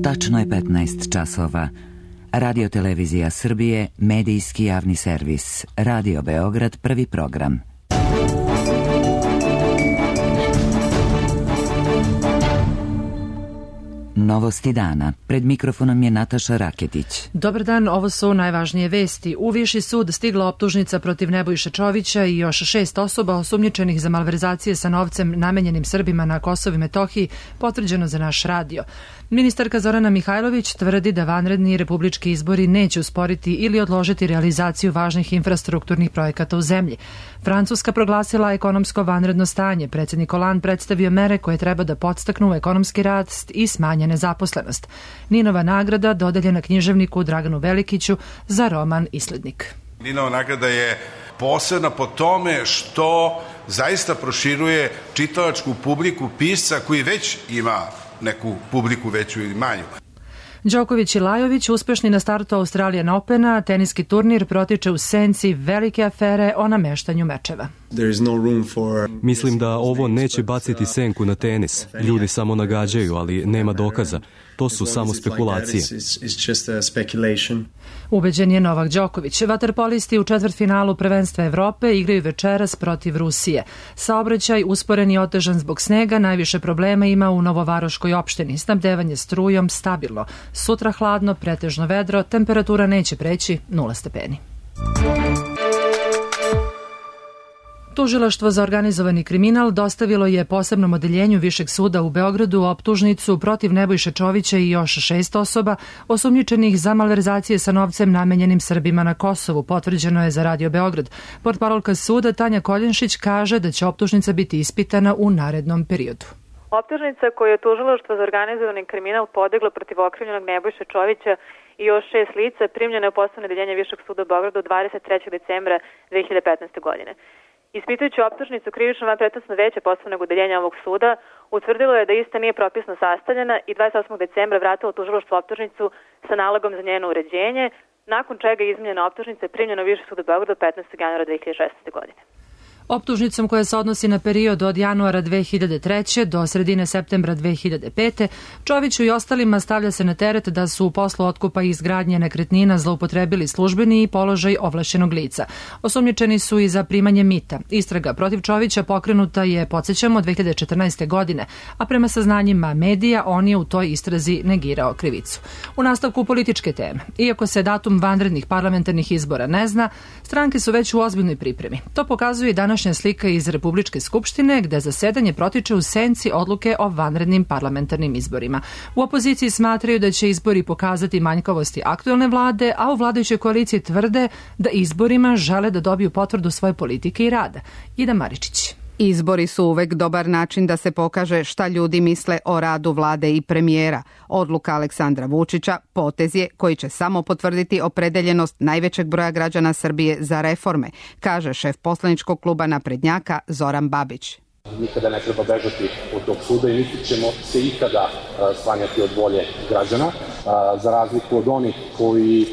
Tačno je 15 časova. Radio Televizija Srbije, medijski javni servis. Radio Beograd, prvi program. Novosti dana. Pred mikrofonom je Nataša Raketić. Dobar dan, ovo su najvažnije vesti. U Viši sud stigla optužnica protiv Nebojše Čovića i još 6 osoba osumnjičenih za malverzacije sa novcem namenjenim Srbima na Kosovu i Metohiji, potvrđeno za naš radio. Ministarka Zorana Mihajlović tvrdi da vanredni republički izbori neće usporiti ili odložiti realizaciju važnih infrastrukturnih projekata u zemlji. Francuska proglasila ekonomsko vanredno stanje. Predsjednik Hollande predstavio mere koje treba da podstaknu ekonomski rast i smanje nezaposlenost. Ninova nagrada dodeljena književniku Draganu Velikiću za roman Islednik. Ninova nagrada je posebna po tome što zaista proširuje čitalačku publiku pisca koji već ima neku publiku veću ili manju. Đoković i Lajović uspešni na startu Australian Opena, teniski turnir protiče u senci velike afere o nameštanju mečeva. Mislim da ovo neće baciti senku na tenis. Ljudi samo nagađaju, ali nema dokaza. To su samo spekulacije. Ubeđen je Novak Đoković. Vaterpolisti u četvrtfinalu prvenstva Evrope igraju večeras protiv Rusije. Saobraćaj usporen i otežan zbog snega, najviše problema ima u Novovaroškoj opštini. Snabdevanje strujom stabilno. Sutra hladno, pretežno vedro, temperatura neće preći 0 stepeni. Tužilaštvo za organizovani kriminal dostavilo je posebnom odeljenju Višeg suda u Beogradu optužnicu protiv Nebojše Čovića i još 6 osoba osumnjičenih za malverzacije sa novcem namenjenim Srbima na Kosovu, potvrđeno je za Radio Beograd. Portparolka suda Tanja Koljenšić kaže da će optužnica biti ispitana u narednom periodu. Optužnica koju je Tužilaštvo za organizovani kriminal podiglo protiv okrivljenog Nebojše Čovića i još 6 lica primljena je u posebno odeljenje Višeg suda u Beogradu 23. decembra 2015. godine. Ispitujući optužnicu, krivično vanpretensno veće posebnog odeljenja ovog suda utvrdilo je da ista nije propisno sastavljena i 28. decembra vratilo tužilaštvo optužnicu sa nalogom za njeno uređenje, nakon čega je izmenjena optužnica i primljena u Viši sud u Beogradu 15. januara 2016. godine. Optužnicom koja se odnosi na period od januara 2003. do sredine septembra 2005. Čoviću i ostalima stavlja se na teret da su u poslu otkupa i izgradnje nekretnina zloupotrebili službeni i položaj ovlašćenog lica. Osumnjičeni su i za primanje mita. Istraga protiv Čovića pokrenuta je, podsjećamo, 2014. godine, a prema saznanjima medija on je u toj istrazi negirao krivicu. U nastavku političke teme. Iako se datum vanrednih parlamentarnih izbora ne zna, stranke su već u ozbiljnoj pripremi. To pokazuje i današnja slika iz Republičke skupštine, gde zasedanje protiče u senci odluke o vanrednim parlamentarnim izborima. U opoziciji smatraju da će izbori pokazati manjkavosti aktuelne vlade, a u vladajućoj koaliciji tvrde da izborima žele da dobiju potvrdu svoje politike i rada. Ida Maričić. Izbori su uvek dobar način da se pokaže šta ljudi misle o radu vlade i premijera. Odluka Aleksandra Vučića potez je koji će samo potvrditi opredeljenost najvećeg broja građana Srbije za reforme, kaže šef poslaničkog kluba naprednjaka Zoran Babić. Nikada ne treba bežati od tog suda i niti ćemo se ikada sklanjati od volje građana, za razliku od onih koji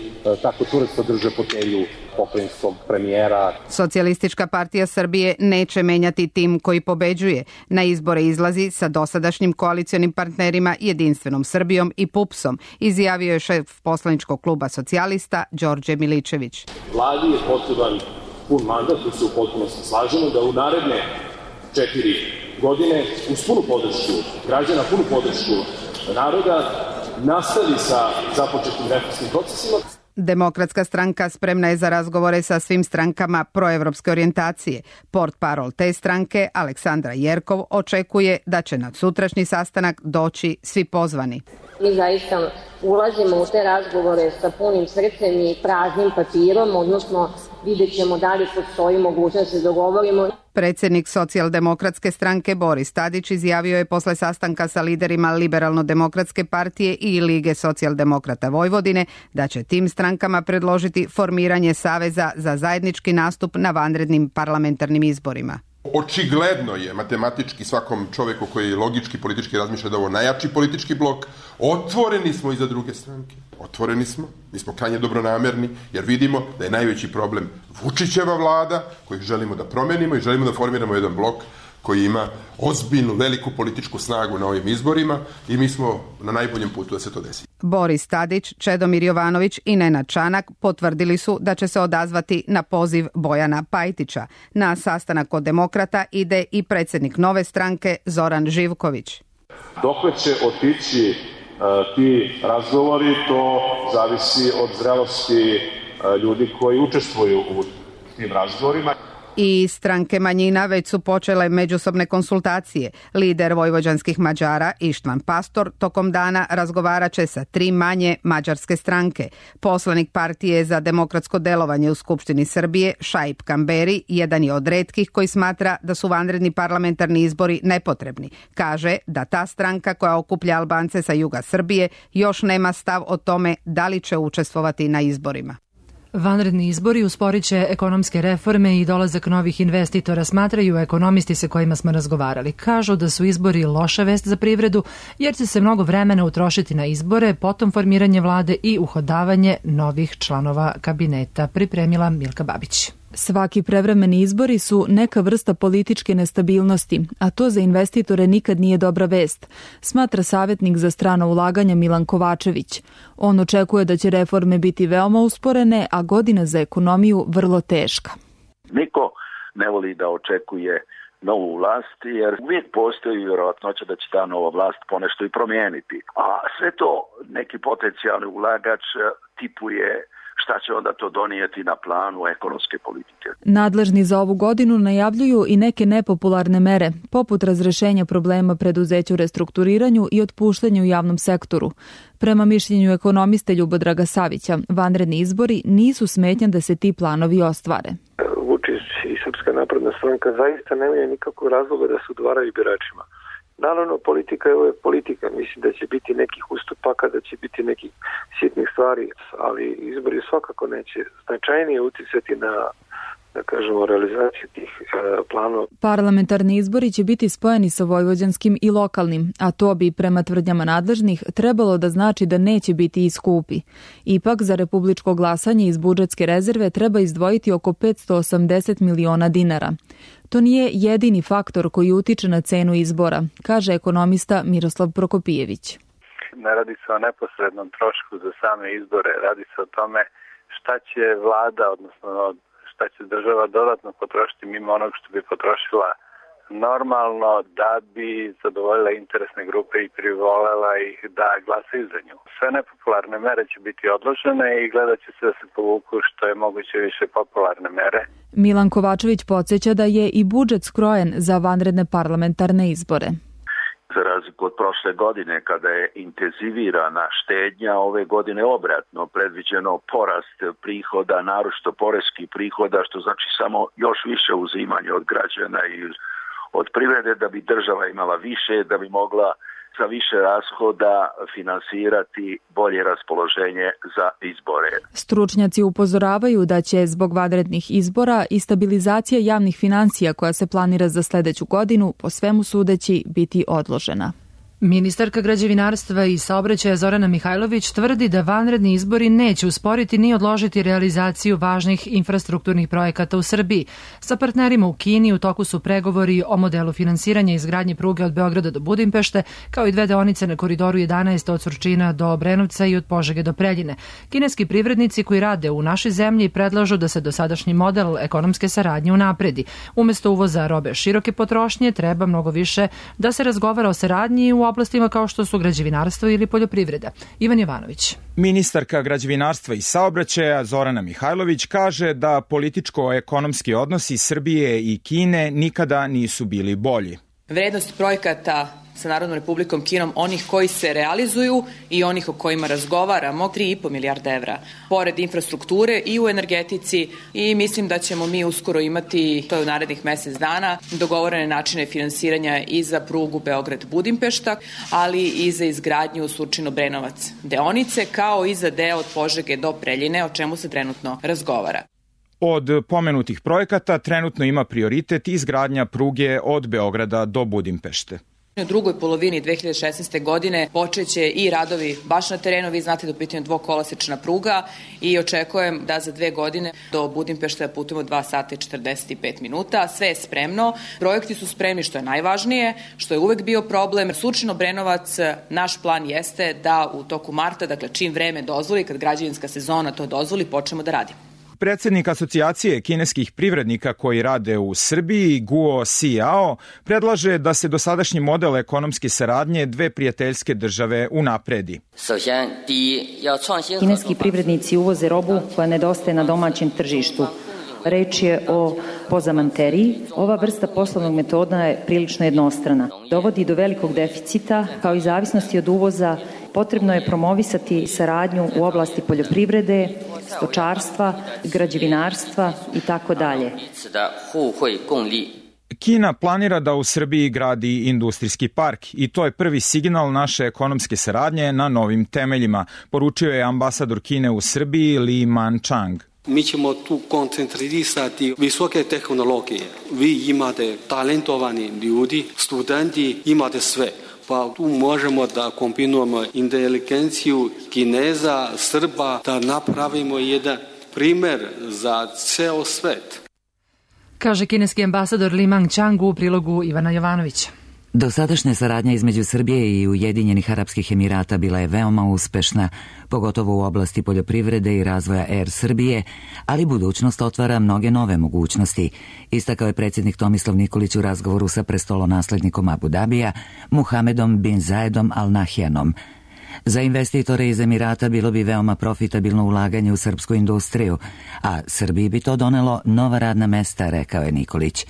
tako čvrsto drže fotelju pokrajinskog premijera. Socijalistička partija Srbije neće menjati tim koji pobeđuje. Na izbore izlazi sa dosadašnjim koalicionim partnerima Jedinstvenom Srbijom i PUPS-om, izjavio je šef poslaničkog kluba socijalista Đorđe Miličević. Vladi je potreban pun mandat, tu se u potpunosti slažemo, da u naredne 4 godine uz punu podršku građana, punu podršku naroda nastavi sa započetim reformskim procesima. Demokratska stranka spremna je za razgovore sa svim strankama proevropske orijentacije. Portparol te stranke, Aleksandra Jerkov, očekuje da će na sutrašnji sastanak doći svi pozvani. Mi zaista ulazimo u te razgovore sa punim srcem i praznim papirom, odnosno vidjet ćemo da li postoji mogućnost da se dogovorimo. Predsjednik socijaldemokratske stranke Boris Tadić izjavio je posle sastanka sa liderima Liberalno-demokratske partije i Lige socijaldemokrata Vojvodine da će tim strankama predložiti formiranje saveza za zajednički nastup na vanrednim parlamentarnim izborima. Očigledno je matematički svakom čovjeku koji logički politički razmišlja da ovo najjači politički blok. Otvoreni smo i za druge stranke. Otvoreni smo, mi smo krajnje dobronamerni jer vidimo da je najveći problem Vučićeva vlada koju želimo da promenimo i želimo da formiramo jedan blok koji ima ozbiljnu, veliku političku snagu na ovim izborima i mi smo na najboljem putu da se to desi. Boris Tadić, Čedomir Jovanović i Nenad Čanak potvrdili su da će se odazvati na poziv Bojana Pajtića. Na sastanak kod Demokrata ide i predsjednik Nove stranke Zoran Živković. Dokle će otići ti razgovori, to zavisi od zrelosti ljudi koji učestvuju u tim razgovorima. I stranke manjina već su počele međusobne konsultacije. Lider vojvođanskih Mađara Ištvan Pastor tokom dana razgovarat će sa 3 manje mađarske stranke. Poslanik partije za demokratsko delovanje u Skupštini Srbije Šaip Kamberi jedan je od retkih koji smatra da su vanredni parlamentarni izbori nepotrebni. Kaže da ta stranka koja okuplja Albance sa juga Srbije još nema stav o tome da li će učestvovati na izborima. Vanredni izbori usporit će ekonomske reforme i dolazak novih investitora, smatraju ekonomisti sa kojima smo razgovarali. Kažu da su izbori loša vest za privredu jer će se mnogo vremena utrošiti na izbore, potom formiranje vlade i uhodavanje novih članova kabineta, pripremila Milka Babić. Svaki prevremeni izbori su neka vrsta političke nestabilnosti, a to za investitore nikad nije dobra vest, smatra savjetnik za strano ulaganja Milan Kovačević. On očekuje da će reforme biti veoma usporene, a godina za ekonomiju vrlo teška. Niko ne voli da očekuje novu vlast, jer uvijek postoji vjerojatnoća da će ta nova vlast ponešto i promijeniti. A sve to neki potencijalni ulagač tipuje šta će onda to donijeti na planu ekonomske politike. Nadležni za ovu godinu najavljuju i neke nepopularne mere, poput razrešenja problema preduzeća u restrukturiranju i otpuštanju u javnom sektoru. Prema mišljenju ekonomiste Ljubodraga Savića, vanredni izbori nisu smetnja da se ti planovi ostvare. Vučić i Srpska napredna stranka zaista nemaju nikakvog razloga da se udvaraju biračima. Naravno, politika je uvijek politika. Mislim da će biti nekih ustupaka, da će biti nekih sitnih stvari, ali izbori svakako neće značajnije uticati na, da kažemo, realizaciju tih planova. Parlamentarni izbori će biti spojeni sa vojvođanskim i lokalnim, a to bi prema tvrdnjama nadležnih trebalo da znači da neće biti i skupi. Ipak za republičko glasanje iz budžetske rezerve treba izdvojiti oko 580 miliona dinara. To nije jedini faktor koji utiče na cenu izbora, kaže ekonomista Miroslav Prokopijević. Ne radi se o neposrednom trošku za same izbore, radi se o tome šta će vlada, odnosno šta će država dodatno potrošiti mimo onog što bi potrošila normalno da bi zadovoljila interesne grupe i privolela ih da glasaju za nju. Sve nepopularne mere će biti odložene i gledat će se da se povuku što je moguće više popularne mere. Milan Kovačević podsjeća da je i budžet skrojen za vanredne parlamentarne izbore. Za razliku od prošle godine kada je intenzivirana štednja, ove godine obratno predviđeno porast prihoda, naročito poreskih prihoda, što znači samo još više uzimanje od građana i od privrede da bi država imala više, da bi mogla sa više rashoda finansirati bolje raspoloženje za izbore. Stručnjaci upozoravaju da će zbog vanrednih izbora i stabilizacija javnih financija koja se planira za sljedeću godinu po svemu sudeći biti odložena. Ministarka građevinarstva i saobraćaja Zorana Mihajlović tvrdi da vanredni izbori neće usporiti ni odložiti realizaciju važnih infrastrukturnih projekata u Srbiji. Sa partnerima u Kini u toku su pregovori o modelu finansiranja izgradnje pruge od Beograda do Budimpešte, kao i 2 deonice na koridoru 11 od Surčina do Obrenovca i od Požege do Preljine. Kineski privrednici koji rade u našoj zemlji predlažu da se dosadašnji model ekonomske saradnje unapredi. Umesto uvoza robe široke potrošnje treba mnogo više da se razgovara o saradnji u oblastima kao što su građevinarstvo ili poljoprivreda. Ivan Jovanović. Ministarka građevinarstva i saobraćaja Zorana Mihajlović kaže da političko-ekonomski odnosi Srbije i Kine nikada nisu bili bolji. Vrednost projekata sa Narodnom Republikom Kinom, onih koji se realizuju i onih o kojima razgovaramo, 3,5 milijarda evra. Pored infrastrukture i u energetici, i mislim da ćemo mi uskoro imati, to je u narednih mjesec dana, dogovorene načine finansiranja i za prugu Beograd-Budimpešta, ali i za izgradnju Surčin-Obrenovac deonice, kao i za deo od Požege do Preljine, o čemu se trenutno razgovara. Od pomenutih projekata trenutno ima prioritet izgradnja pruge od Beograda do Budimpešte. U drugoj polovini 2016. godine počeće i radovi baš na terenu. Vi znate da je u pitanju dvokolosečna pruga i očekujem da za 2 godine do Budimpešte putujemo 2 sata i 45 minuta. Sve je spremno, projekti su spremni, što je najvažnije, što je uvek bio problem. Surčin-Obrenovac, naš plan jeste da u toku marta, dakle čim vreme dozvoli, kad građevinska sezona to dozvoli, počnemo da radimo. Predsednik Asocijacije kineskih privrednika koji rade u Srbiji, Guo Xiao, predlaže da se dosadašnji model ekonomske saradnje dve prijateljske države unapredi. Kineski privrednici uvoze robu koja nedostaje na domaćem tržištu. Reč je o pozamanteriji. Ova vrsta poslovnog metoda je prilično jednostrana. Dovodi do velikog deficita, kao i zavisnosti od uvoza. Potrebno je promovisati saradnju u oblasti poljoprivrede, stočarstva, građevinarstva i tako dalje. Kina planira da u Srbiji gradi industrijski park i to je prvi signal naše ekonomske saradnje na novim temeljima, poručio je ambasador Kine u Srbiji Li Manchang. Mi ćemo tu koncentrirati visoke tehnologije. Vi imate talentovani ljudi, studenti, imate sve. Pa tu možemo da kombinujemo inteligenciju Kineza, Srba, da napravimo jedan primer za ceo svet. Kaže kineski ambasador Li Manchang u prilogu Ivana Jovanovića. Dosadašnja saradnja između Srbije i Ujedinjenih Arapskih Emirata bila je veoma uspešna, pogotovo u oblasti poljoprivrede i razvoja Air Srbije, ali budućnost otvara mnoge nove mogućnosti, istakao je predsjednik Tomislav Nikolić u razgovoru sa prestolonaslednikom Abu Dabija, Muhamedom bin Zayedom Al Nahyanom. Za investitore iz Emirata bilo bi veoma profitabilno ulaganje u srpsku industriju, a Srbiji bi to donelo nova radna mesta, rekao je Nikolić.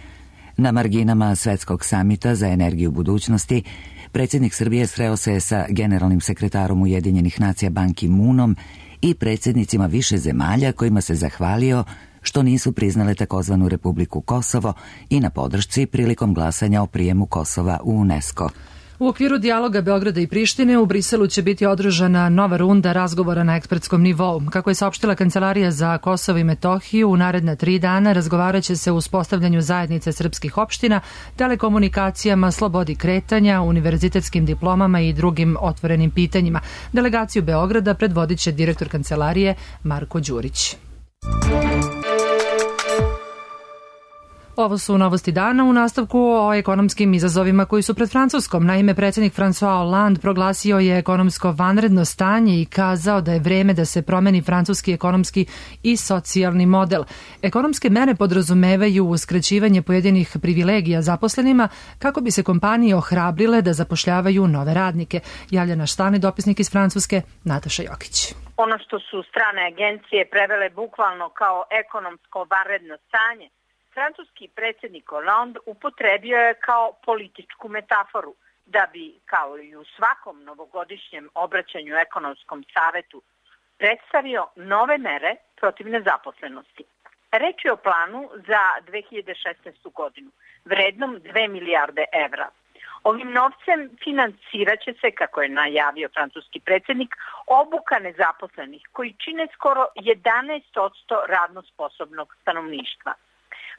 Na marginama Svetskog samita za energiju budućnosti, predsjednik Srbije sreo se sa generalnim sekretarom Ujedinjenih nacija Ban Ki-moonom i predsjednicima više zemalja kojima se zahvalio što nisu priznale takozvanu Republiku Kosovo i na podršci prilikom glasanja o prijemu Kosova u UNESCO. U okviru dijaloga Beograda i Prištine u Briselu će biti održana nova runda razgovora na ekspertskom nivou. Kako je saopštila Kancelarija za Kosovo i Metohiju, u naredna 3 dana razgovarat će se o uspostavljanju zajednice srpskih opština, telekomunikacijama, slobodi kretanja, univerzitetskim diplomama i drugim otvorenim pitanjima. Delegaciju Beograda predvodit će direktor Kancelarije Marko Đurić. Ovo su novosti dana u nastavku o ekonomskim izazovima koji su pred Francuskom. Naime, predsjednik François Hollande proglasio je ekonomsko vanredno stanje i kazao da je vreme da se promeni francuski ekonomski i socijalni model. Ekonomske mere podrazumevaju uskraćivanje pojedinih privilegija zaposlenima kako bi se kompanije ohrabrile da zapošljavaju nove radnike. Javlja naš stalni dopisnik iz Francuske, Nataša Jokić. Ono što su strane agencije prevele bukvalno kao ekonomsko vanredno stanje, francuski predsjednik Hollande upotrebio je kao političku metaforu da bi, kao i u svakom novogodišnjem obraćanju ekonomskom savetu, predstavio nove mere protiv nezaposlenosti. Reč je o planu za 2016. godinu, vrednom 2 milijarde evra. Ovim novcem financirat će se, kako je najavio francuski predsjednik, obuka nezaposlenih koji čine skoro 11% radno sposobnog stanovništva.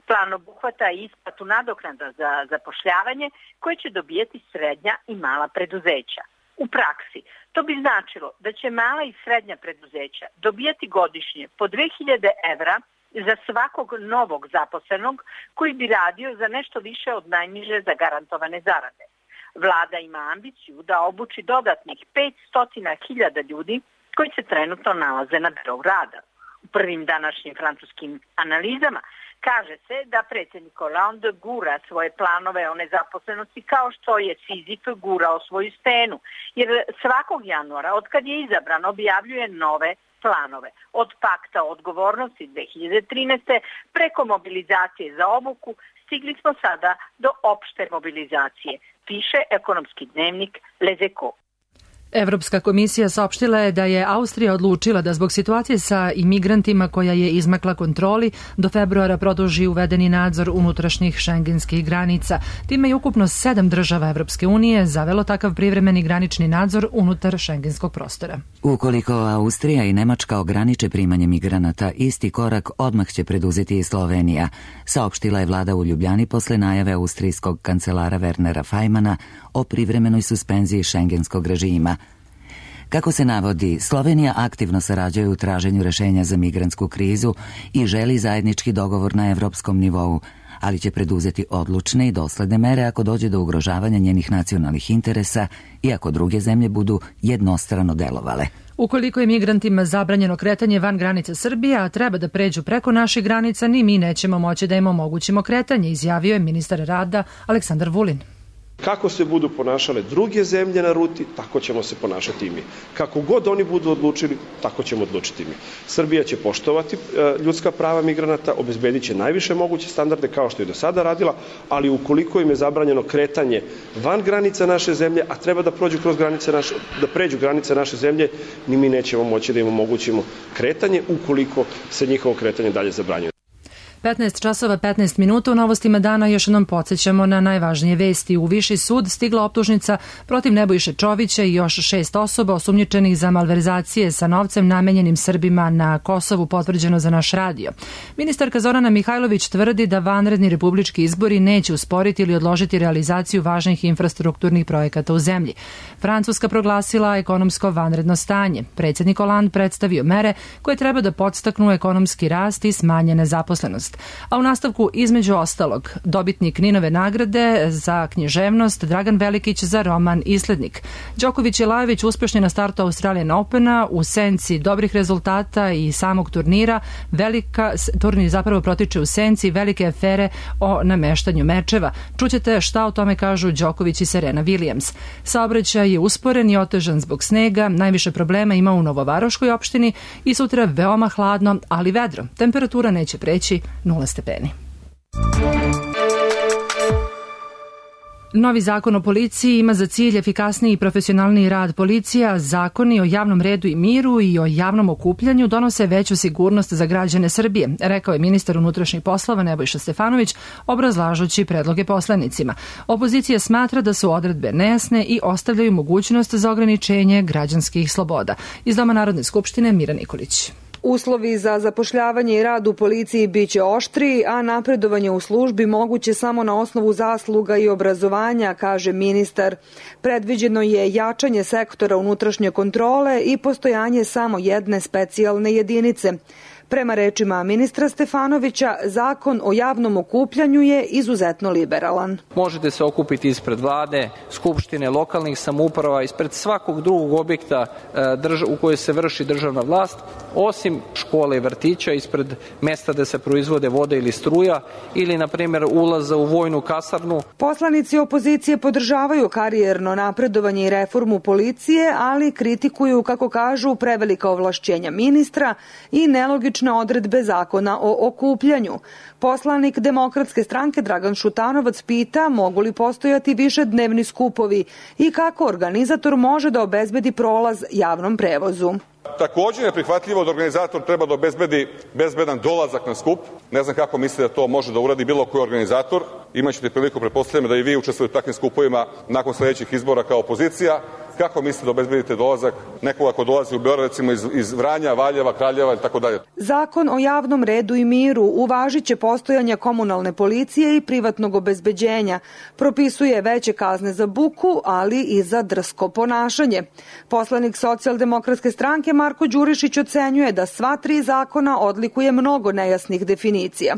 Plan obuhvata i isplatu nadoknada za zapošljavanje koje će dobijati srednja i mala preduzeća. U praksi to bi značilo da će mala i srednja preduzeća dobijati godišnje po 2000 evra za svakog novog zaposlenog koji bi radio za nešto više od najniže zagarantovane zarade. Vlada ima ambiciju da obuči dodatnih 500.000 ljudi koji se trenutno nalaze na birou rada. U prvim današnjim francuskim analizama kaže se da predsjednik Hollande gura svoje planove o nezaposlenosti kao što je Sizif gurao svoju stenu, jer svakog januara, od kad je izabran, objavljuje nove planove. Od pakta odgovornosti 2013. preko mobilizacije za obuku stigli smo sada do opšte mobilizacije, piše ekonomski dnevnik Les Echos. Evropska komisija saopštila je da je Austrija odlučila da zbog situacije sa imigrantima koja je izmakla kontroli do februara produži uvedeni nadzor unutrašnjih šengenskih granica. Time je ukupno 7 država Evropske unije zavelo takav privremeni granični nadzor unutar šengenskog prostora. Ukoliko Austrija i Nemačka ograniče primanje migranata, isti korak odmah će preduzeti i Slovenija, saopštila je vlada u Ljubljani posle najave austrijskog kancelara Wernera Fajmana o privremenoj suspenziji šengenskog režima. Kako se navodi, Slovenija aktivno sarađuje u traženju rešenja za migrantsku krizu i želi zajednički dogovor na evropskom nivou, ali će preduzeti odlučne i dosledne mere ako dođe do ugrožavanja njenih nacionalnih interesa i ako druge zemlje budu jednostrano delovale. Ukoliko je migrantima zabranjeno kretanje van granica Srbije, a treba da pređu preko naših granica, ni mi nećemo moći da im omogućimo kretanje, izjavio je ministar rada Aleksandar Vulin. Kako se budu ponašale druge zemlje na ruti, tako ćemo se ponašati i mi. Kako god oni budu odlučili, tako ćemo odlučiti mi. Srbija će poštovati ljudska prava migranata, obezbedit će najviše moguće standarde kao što je do sada radila, ali ukoliko im je zabranjeno kretanje van granica naše zemlje, a treba da pređu granice naše zemlje, ni mi nećemo moći da im omogućimo kretanje ukoliko se njihovo kretanje dalje zabranjuje. 15 časova 15 minuta u novostima dana još jednom podsjećamo na najvažnije vesti. U Viši sud stigla optužnica protiv Nebojše Čovića i još 6 osoba osumnjičenih za malverzacije sa novcem namenjenim Srbima na Kosovu, potvrđeno za naš radio. Ministarka Zorana Mihajlović tvrdi da vanredni republički izbori neće usporiti ili odložiti realizaciju važnih infrastrukturnih projekata u zemlji. Francuska proglasila ekonomsko vanredno stanje. Predsjednik Hollande predstavio mere koje treba da podstaknu ekonomski rast i smanje nezaposlenost. A u nastavku, između ostalog, dobitnik Ninove nagrade za književnost Dragan Velikić za roman Islednik. Đoković i Lajović uspešni na startu Australian Opena u senci dobrih rezultata i samog turnira. Turnir zapravo protiče u senci velike afere o nameštanju mečeva. Čućete šta o tome kažu Đoković i Serena Williams. Saobraćaj je usporen i otežan zbog snega. Najviše problema ima u Novovaroškoj opštini i sutra veoma hladno, ali vedro. Temperatura neće preći 0 stepeni. Novi zakon o policiji ima za cilj efikasniji i profesionalniji rad policije, a zakoni o javnom redu i miru i o javnom okupljanju donose veću sigurnost za građane Srbije, rekao je ministar unutrašnjih poslova Nebojša Stefanović, obrazlažući predloge poslanicima. Opozicija smatra da su odredbe nejasne i ostavljaju mogućnost za ograničenje građanskih sloboda. Iz Doma Narodne skupštine Mira Nikolić. Uslovi za zapošljavanje i rad u policiji biće oštriji, a napredovanje u službi moguće samo na osnovu zasluga i obrazovanja, kaže ministar. Predviđeno je jačanje sektora unutrašnje kontrole i postojanje samo jedne specijalne jedinice. Prema rečima ministra Stefanovića, zakon o javnom okupljanju je izuzetno liberalan. Možete se okupiti ispred vlade, skupštine, lokalnih samouprava, ispred svakog drugog objekta u kojoj se vrši državna vlast, osim škole i vrtića, ispred mesta gde se proizvode voda ili struja ili, na primjer, ulaza u vojnu kasarnu. Poslanici opozicije podržavaju karijerno napredovanje i reformu policije, ali kritikuju, kako kažu, prevelika ovlašćenja ministra i nelogične odredbe zakona o okupljanju. Poslanik Demokratske stranke Dragan Šutanovac pita mogu li postojati višednevni skupovi i kako organizator može da obezbedi prolaz javnom prevozu. Također je prihvatljivo da organizator treba da obezbedi bezbedan dolazak na skup. Ne znam kako misli da to može da uradi bilo koji organizator. Imaćete priliku, pretpostavljam, da i vi učestvujete u takvim skupovima nakon sledećih izbora kao opozicija. Kako mislite da obezbedite dolazak nekoga ko dolazi u Beograd, recimo iz Vranja, Valjeva, Kraljeva i tako dalje? Zakon o javnom redu i miru uvažit će postojanje komunalne policije i privatnog obezbeđenja. Propisuje veće kazne za buku, ali i za drsko ponašanje. Poslanik Socijaldemokratske stranke Marko Đurišić ocenjuje da sva 3 zakona odlikuje mnogo nejasnih definicija.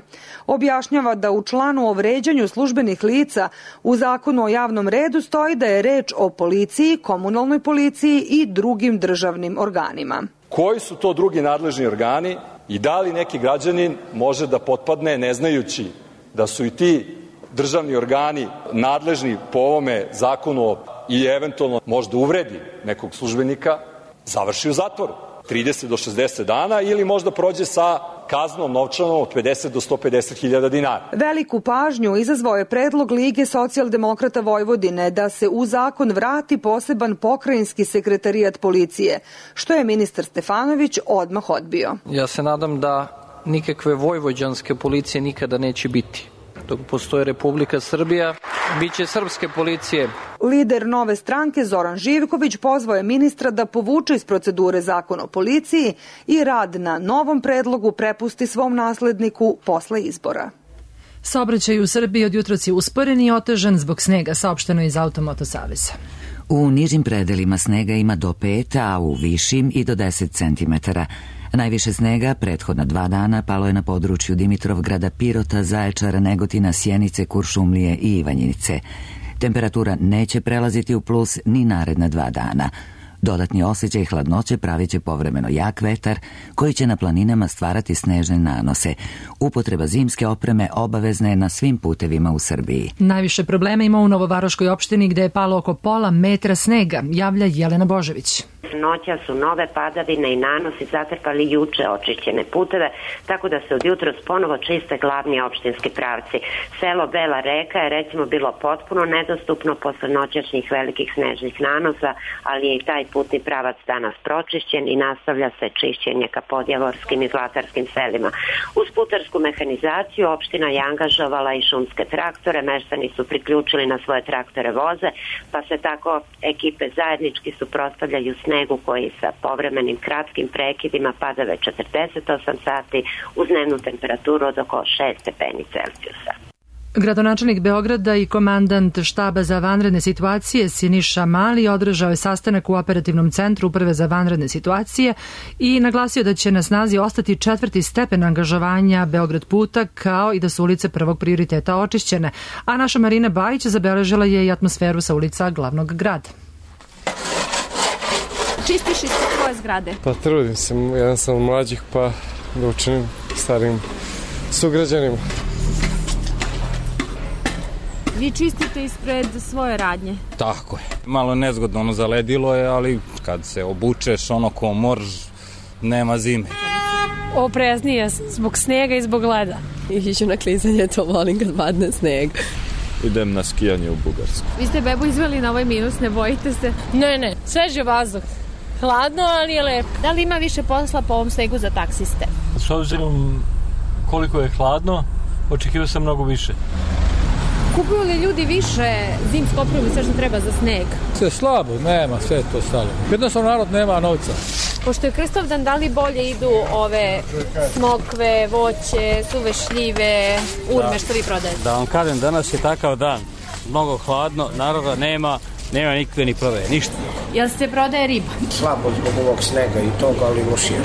Objašnjava da u članu o vređanju službenih lica u zakonu o javnom redu stoji da je reč o policiji, komunalnoj policiji i drugim državnim organima. Koji su to drugi nadležni organi i da li neki građanin može da potpadne, ne znajući da su i ti državni organi nadležni po ovome zakonu i eventualno možda uvredi nekog službenika, završi u zatvoru 30 do 60 dana ili možda prođe sa kaznom novčanom od 50 do 150 hiljada dinara. Veliku pažnju izazvao je predlog Lige socijaldemokrata Vojvodine da se u zakon vrati poseban pokrajinski sekretarijat policije, što je ministar Stefanović odmah odbio. Ja se nadam da nikakve vojvođanske policije nikada neće biti. Dok postoji Republika Srbija, bit će srpske policije. Lider Nove stranke Zoran Živković pozvao je ministra da povuče iz procedure zakon o policiji i rad na novom predlogu prepusti svom nasledniku posle izbora. Saobraćaj u Srbiji od jutros je usporen i otežan zbog snega, saopšteno iz Automoto saveza. U nižim predelima snega ima do 5, a u višim i do 10 cm. Najviše snega prethodna 2 dana palo je na području Dimitrovgrada, Pirota, Zaječara, Negotina, Sjenice, Kuršumlije i Ivanjice. Temperatura neće prelaziti u plus ni naredna 2 dana. Dodatni osjećaj hladnoće pravit će povremeno jak vetar koji će na planinama stvarati snežne nanose. Upotreba zimske opreme obavezna je na svim putevima u Srbiji. Najviše problema ima u Novovaroškoj opštini gde je palo oko pola metra snega, javlja Jelena Božević. Noća su nove padavine i nanosi zatrpali juče očišćene puteve, tako da se od jutros ponovo čiste glavni opštinski pravci. Selo Bela Reka je recimo bilo potpuno nedostupno posle noćašnjih velikih snežnih nanosa, ali je i taj putni pravac danas pročišćen i nastavlja se čišćenje ka podjavorskim i zlatarskim selima. Uz putarsku mehanizaciju opština je angažovala i šumske traktore, meštani su priključili na svoje traktore voze, pa se tako ekipe zajednički suprotstavljaju snegu koji sa povremenim kratkim prekidima pada već 48 sati uz dnevnu temperaturu od oko 6 stepeni Celzijusa. Gradonačelnik Beograda i komandant štaba za vanredne situacije Siniša Mali održao je sastanak u operativnom centru Uprave za vanredne situacije i naglasio da će na snazi ostati 4. stepen angažovanja Beograd puta, kao i da su ulice prvog prioriteta očišćene. A naša Marina Bajić zabeležila je i atmosferu sa ulica glavnog grada. Čistiš ispred svoje zgrade? Pa trudim se, jedan sam od mlađih, pa da učinim starim sugrađanima. Vi čistite ispred svoje radnje? Tako je. Malo nezgodno zaledilo je, ali kad se obučeš ko morž, nema zime. Opreznije zbog snega i zbog leda. Iću na klizanje, to volim kad padne sneg. Idem na skijanje u Bugarsku. Vi ste bebu izveli na ovaj minus, ne bojite se? Ne, svež je vazduh. Hladno, ali je lepo. Da li ima više posla po ovom snegu za taksiste? S obzirom koliko je hladno, očekivao sam mnogo više. Kupuju li ljudi više zimsku opremu i sve što treba za sneg? Sve slabo, nema, sve to stalo. Jednostavno narod nema novca. Pošto je Krstovdan, da li bolje idu ove smokve, voće, suve šljive, urme što vi prodajete? Da vam kažem, danas je takav dan. Mnogo hladno, naroda nema nikakve ni prodaje, ništa. Jel se prodaje riba? Slabo zbog ovog snega i toga, ali lošije.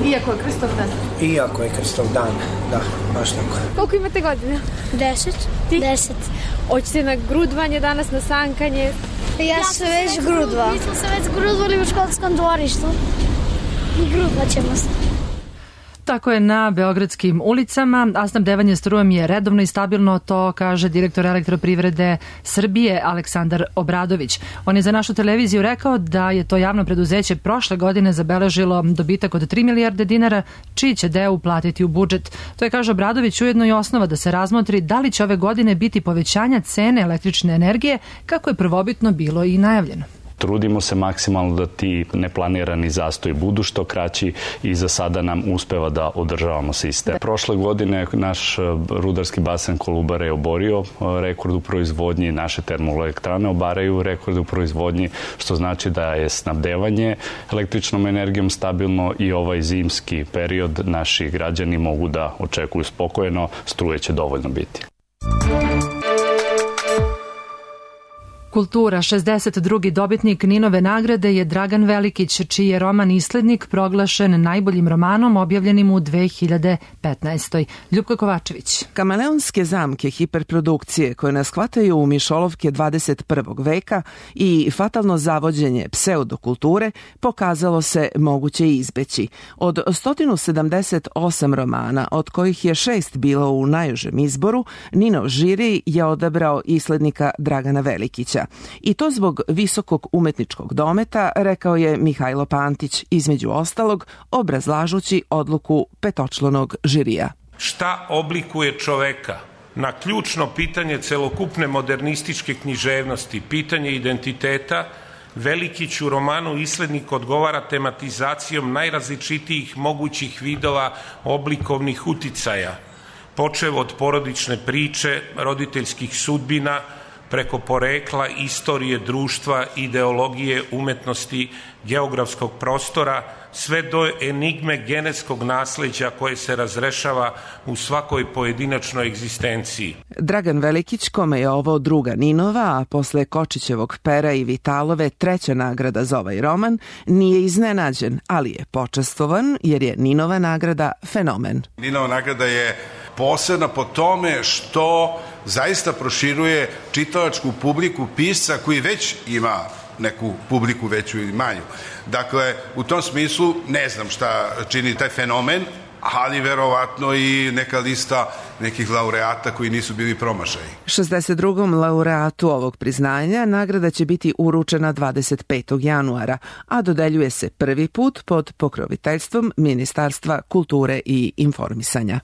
Iako je Krstovdan? Iako je Krstovdan, da, baš tako. Koliko imate godina? 10. Ti? 10. Hoćete na grudvanje danas, na sankanje? Ja se već grudva. Mi smo se već grudvali u školskom dvorištu i grudvat ćemo se. Tako je na beogradskim ulicama, a snabdevanje strujom je redovno i stabilno, to kaže direktor Elektroprivrede Srbije Aleksandar Obradović. On je za našu televiziju rekao da je to javno preduzeće prošle godine zabeležilo dobitak od 3 milijarde dinara, čiji će deo uplatiti u budžet. To je, kaže Obradović, ujedno i osnova da se razmotri da li će ove godine biti povećanja cene električne energije, kako je prvobitno bilo i najavljeno. Trudimo se maksimalno da ti neplanirani zastoji budu što kraći i za sada nam uspeva da održavamo sistem. Prošle godine naš rudarski basen Kolubara je oborio rekord u proizvodnji, naše termoelektrane obaraju rekord u proizvodnji, što znači da je snabdevanje električnom energijom stabilno i ovaj zimski period naši građani mogu da očekuju spokojno, struje će dovoljno biti. Kultura. 62. dobitnik Ninove nagrade je Dragan Velikić, čiji je roman Islednik proglašen najboljim romanom objavljenim u 2015. Ljupka Kovačević. Kameleonske zamke hiperprodukcije koje nas hvataju u mišolovke 21. veka i fatalno zavođenje pseudokulture pokazalo se moguće izbeći. Od 178 romana, od kojih je 6 bilo u najužem izboru, Ninov žiri je odabrao Islednika Dragana Velikića. Djokovića. I to zbog visokog umetničkog dometa, rekao je Mihajlo Pantić, između ostalog obrazlažući odluku petočlanog žirija. Šta oblikuje čoveka? Na ključno pitanje celokupne modernističke književnosti, pitanje identiteta, Velikić u romanu Islednik odgovara tematizacijom najrazličitijih mogućih vidova oblikovnih uticaja, počev od porodične priče, roditeljskih sudbina, preko porekla, istorije, društva, ideologije, umetnosti, geografskog prostora, sve do enigme genetskog nasleđa koje se razrešava u svakoj pojedinačnoj egzistenciji. Dragan Velikić, kome je ovo druga Ninova, a posle Kočićevog Pera i Vitalove treća nagrada za ovaj roman, nije iznenađen, ali je počastovan jer je Ninova nagrada fenomen. Ninova nagrada je posebna po tome što zaista proširuje čitalačku publiku pisca koji već ima neku publiku veću ili manju. Dakle, u tom smislu ne znam šta čini taj fenomen, ali verovatno i neka lista nekih laureata koji nisu bili promašaji. 62. laureatu ovog priznanja nagrada će biti uručena 25. januara, a dodeljuje se prvi put pod pokroviteljstvom Ministarstva kulture i informisanja.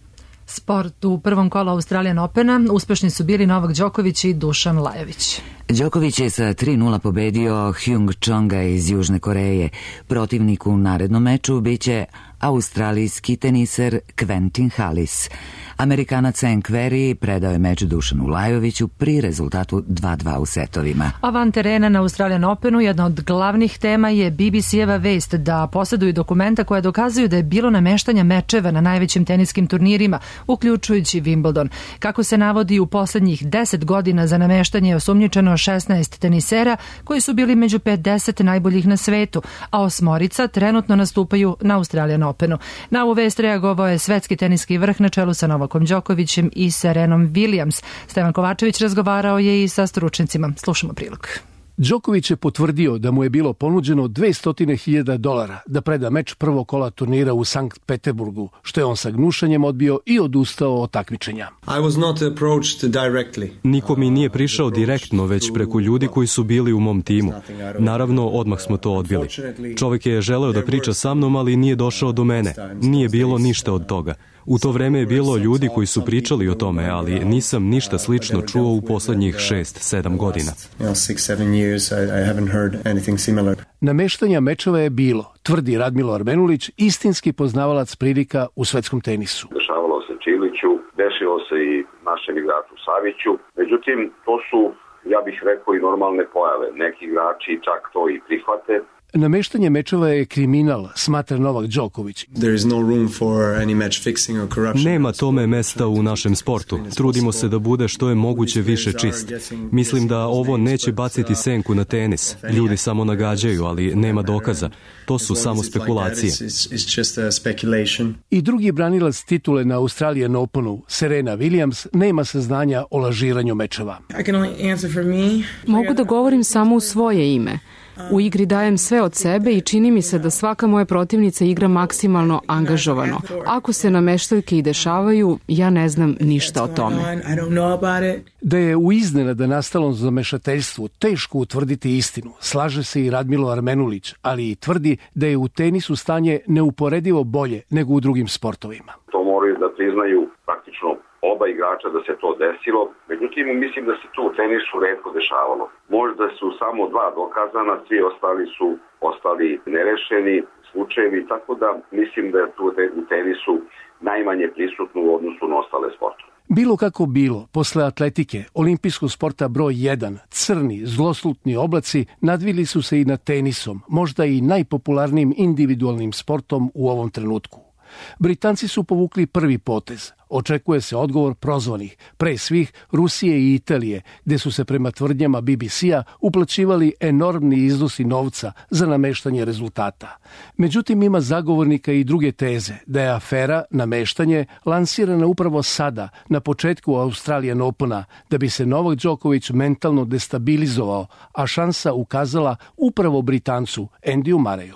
Sport u prvom kolu Australian Opena uspešni su bili Novak Đoković i Dušan Lajović. Đoković je sa 3:0 pobedio Hyung Chonga iz Južne Koreje. Protivnik u narednom meču biće australijski teniser Quentin Hallis. Amerikanac Cenk Querrey predao je meč Dušanu Lajoviću pri rezultatu 2:2 u setovima. A van terena na Australian Openu jedna od glavnih tema je BBC-eva vest da posjeduju dokumenta koja dokazuju da je bilo nameštanja mečeva na najvećim teniskim turnirima, uključujući Wimbledon. Kako se navodi, u poslednjih 10 godina za nameštanje je osumnjičeno 16 tenisera koji su bili među 50 najboljih na svetu, a 8 trenutno nastupaju na Australian Openu. Na ovu vest reagovao je svetski teniski vrh na čelu sa Novakom Đokovićem i Serenom Williams. Stevan Kovačević razgovarao je i sa stručnicima. Slušamo prilog. Đoković je potvrdio da mu je bilo ponuđeno $200.000 da preda meč prvog kola turnira u Sankt Peterburgu, što je on sa gnušanjem odbio i odustao od takmičenja. Niko mi nije prišao direktno, već preko ljudi koji su bili u mom timu. Naravno, odmah smo to odbili. Čovjek je želeo da priča sa mnom, ali nije došao do mene. Nije bilo ništa od toga. U to vreme je bilo ljudi koji su pričali o tome, ali nisam ništa slično čuo u poslednjih 6-7 godina. Nameštanja mečeva je bilo, tvrdi Radmilo Armenulić, istinski poznavalac prilika u svetskom tenisu. Dešavalo se Čiliću, desilo se i našem igraču Saviću, međutim to su, ja bih rekao, i normalne pojave. Neki igrači čak to i prihvate. Nameštanje mečeva je kriminal, smatra Novak Đoković. Nema tome mesta u našem sportu. Trudimo se da bude što je moguće više čist. Mislim da ovo neće baciti senku na tenis. Ljudi samo nagađaju, ali nema dokaza. To su samo spekulacije. I drugi branilac titule na Australian Openu, Serena Williams, nema saznanja o lažiranju mečeva. Mogu da govorim samo u svoje ime. U igri dajem sve od sebe i čini mi se da svaka moja protivnica igra maksimalno angažovano. Ako se nameštaljke i dešavaju, ja ne znam ništa o tome. Da je u iznenada nastalom zamešateljstvu teško utvrditi istinu, slaže se i Radmilo Armenulić, ali i tvrdi da je u tenisu stanje neuporedivo bolje nego u drugim sportovima. To moraju da priznaju praktično oba igrača da se to desilo, međutim mislim da se to u tenisu retko dešavalo. Možda su samo 2 dokazana, svi ostali su ostali nerešeni slučajevi, tako da mislim da je tu u tenisu najmanje prisutno u odnosu na ostale sportove. Bilo kako bilo, posle atletike, olimpijskog sporta broj 1, crni, zloslutni oblaci nadvili su se i nad tenisom, možda i najpopularnijim individualnim sportom u ovom trenutku. Britanci su povukli prvi potez. Očekuje se odgovor prozvanih, pre svih Rusije i Italije, gde su se prema tvrdnjama BBC-a uplaćivali enormni iznosi novca za nameštanje rezultata. Međutim, ima zagovornika i druge teze da je afera nameštanje lansirana upravo sada, na početku Australian Opena, da bi se Novak Đoković mentalno destabilizovao, a šansa ukazala upravo Britancu Andyju Murrayu.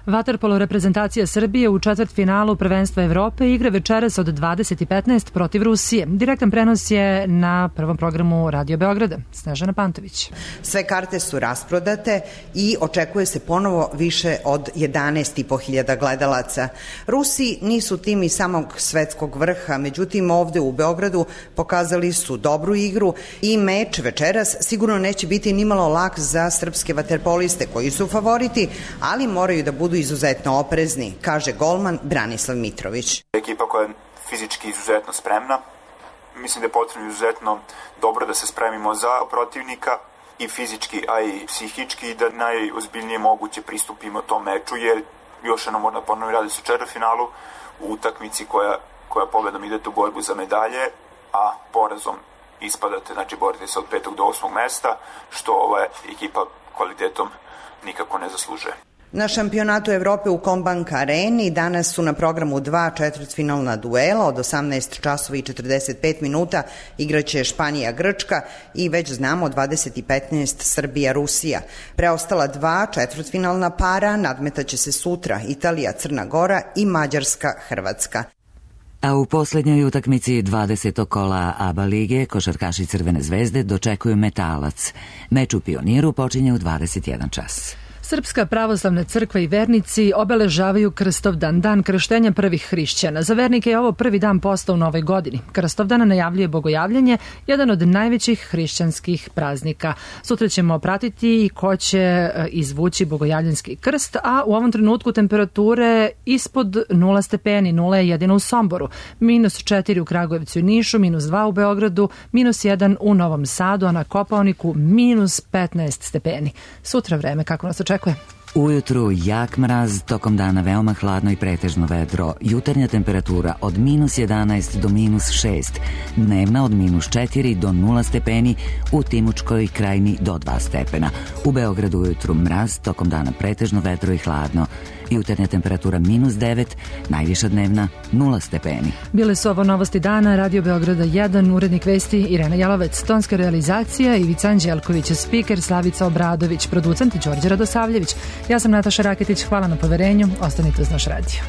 Vaterpolo reprezentacija Srbije u četvrtfinalu prvenstva Evrope igra večeras od 20:15 protiv Rusije. Direktan prenos je na prvom programu Radio Beograda. Snežana Pantović. Sve karte su rasprodate i očekuje se ponovo više od 11.500 gledalaca. Rusi nisu tim i samog svetskog vrha, međutim ovde u Beogradu pokazali su dobru igru i meč večeras sigurno neće biti nimalo lak za srpske vaterpoliste koji su favoriti, ali moraju da budu izuzetno oprezni, kaže golman Branislav Mitrović. Ekipa koja je fizički izuzetno spremna. Mislim da je potrebno izuzetno dobro da se spremimo za protivnika i fizički, a i psihički, da najozbiljnije moguće pristupimo tom meču, jer još jednom moram ponovno radi se u četvrtfinalu u utakmici koja pobedom idete u borbu za medalje, a porazom ispadate, znači borite se od 5. do 8. mesta, što ova ekipa kvalitetom nikako ne zaslužuje. Na šampionatu Evrope u Kombank areni danas su na programu 2 četvrtfinalna duela od 18 časova i 45 minuta igraće Španija-Grčka i već znamo 20:15 Srbija-Rusija. Preostala 2 četvrtfinalna para nadmetaće se sutra Italija-Crna Gora i Mađarska-Hrvatska. A u posljednjoj utakmici 20. kola ABA lige košarkaši Crvene zvezde dočekuju Metalac. Meč u Pioniru počinje u 21 čas. Srpska pravoslavna crkva i vernici obeležavaju Krstovdan, dan krštenja prvih hrišćana. Za vernike je ovo prvi dan posta u novoj godini. Krstovdan najavljuje bogojavljanje, jedan od najvećih hrišćanskih praznika. Sutra ćemo pratiti i ko će izvući bogojavljanski krst, a u ovom trenutku temperature ispod 0 stepeni, 0 je jedino u Somboru, -4 u Kragujevcu i Nišu, -2 u Beogradu, -1 u Novom Sadu, a na Kopaoniku -15 stepeni. Sutra vreme kako nas očekuje? Ujutru jak mraz, tokom dana veoma hladno i pretežno vedro. Jutarnja temperatura od -11 do -6, dnevna od -4 do 0 stepeni, u Timučkoj krajini do 2 stepena. U Beogradu ujutru mraz, tokom dana pretežno vedro i hladno. Jutarnja temperatura -9, najviša dnevna 0 stepeni. Bile su ovo novosti dana, Radio Beograda 1, urednik vesti Irena Jalovec, tonska realizacija Ivica Anđelković, spiker Slavica Obradović, producent Đorđe Radosavljević. Ja sam Nataša Raketić, hvala na poverenju, ostanite uz naš radio.